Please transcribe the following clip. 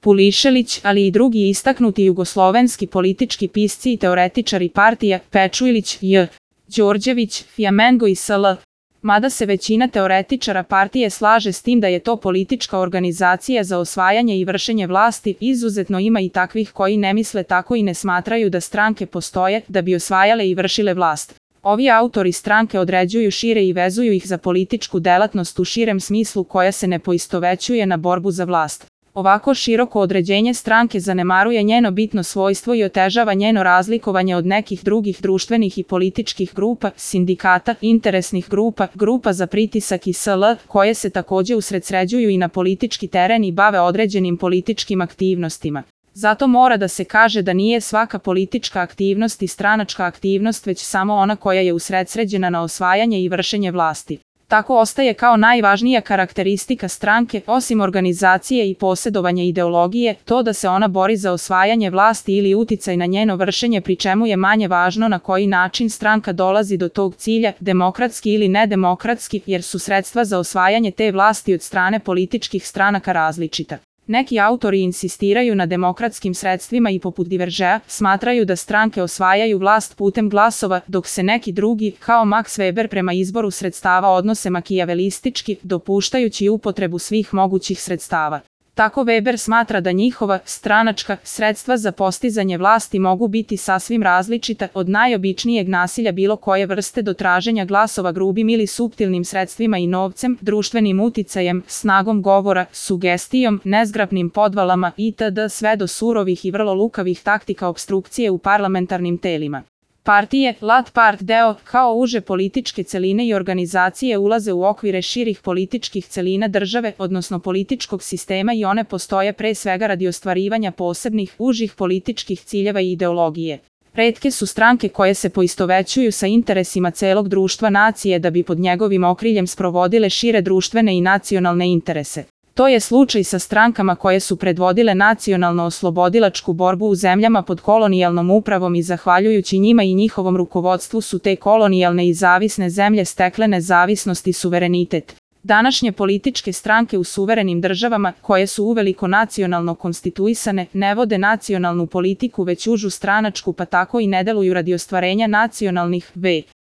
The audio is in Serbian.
Pulišelić, ali i drugi istaknuti jugoslovenski politički pisci i teoretičari partija, Pečuilić, J. Đorđević, Fjamengo i sl. Mada se većina teoretičara partije slaže s tim da je to politička organizacija za osvajanje i vršenje vlasti, izuzetno ima i takvih koji ne misle tako i ne smatraju da stranke postoje da bi osvajale i vršile vlast. Ovi autori stranke određuju šire i vezuju ih za političku delatnost u širem smislu koja se ne poistovećuje na borbu za vlast. Ovako široko određenje stranke zanemaruje njeno bitno svojstvo i otežava njeno razlikovanje od nekih drugih društvenih i političkih grupa, sindikata, interesnih grupa, grupa za pritisak i sl. Koje se takođe usredsređuju i na politički teren i bave određenim političkim aktivnostima. Zato mora da se kaže da nije svaka politička aktivnost i stranačka aktivnost već samo ona koja je usredsređena na osvajanje i vršenje vlasti. Tako ostaje kao najvažnija karakteristika stranke, osim organizacije i posjedovanja ideologije, to da se ona bori za osvajanje vlasti ili uticaj na njeno vršenje, pri čemu je manje važno na koji način stranka dolazi do tog cilja, demokratski ili nedemokratski, jer su sredstva za osvajanje te vlasti od strane političkih stranaka različita. Neki autori insistiraju na demokratskim sredstvima i poput Diveržea, smatraju da stranke osvajaju vlast putem glasova, dok se neki drugi, kao Max Weber, prema izboru sredstava odnose makijavelistički, dopuštajući upotrebu svih mogućih sredstava. Tako Weber smatra da njihova stranačka sredstva za postizanje vlasti mogu biti sasvim različita, od najobičnijeg nasilja bilo koje vrste do traženja glasova grubim ili suptilnim sredstvima i novcem, društvenim uticajem, snagom govora, sugestijom, nezgrapnim podvalama itd. Sve do surovih i vrlo lukavih taktika opstrukcije u parlamentarnim telima. Partije, lat part deo, kao uže političke celine i organizacije ulaze u okvire širih političkih celina države, odnosno političkog sistema, i one postoje pre svega radi ostvarivanja posebnih, užih političkih ciljeva i ideologije. Retke su stranke koje se poistovećuju sa interesima celog društva nacije da bi pod njegovim okriljem sprovodile šire društvene i nacionalne interese. To je slučaj sa strankama koje su predvodile nacionalno-oslobodilačku borbu u zemljama pod kolonijalnom upravom i zahvaljujući njima i njihovom rukovodstvu su te kolonijalne i zavisne zemlje stekle nezavisnost i suverenitet. Današnje političke stranke u suverenim državama, koje su uveliko nacionalno konstituisane, ne vode nacionalnu politiku već užu stranačku, pa tako i ne deluju radi ostvarenja nacionalnih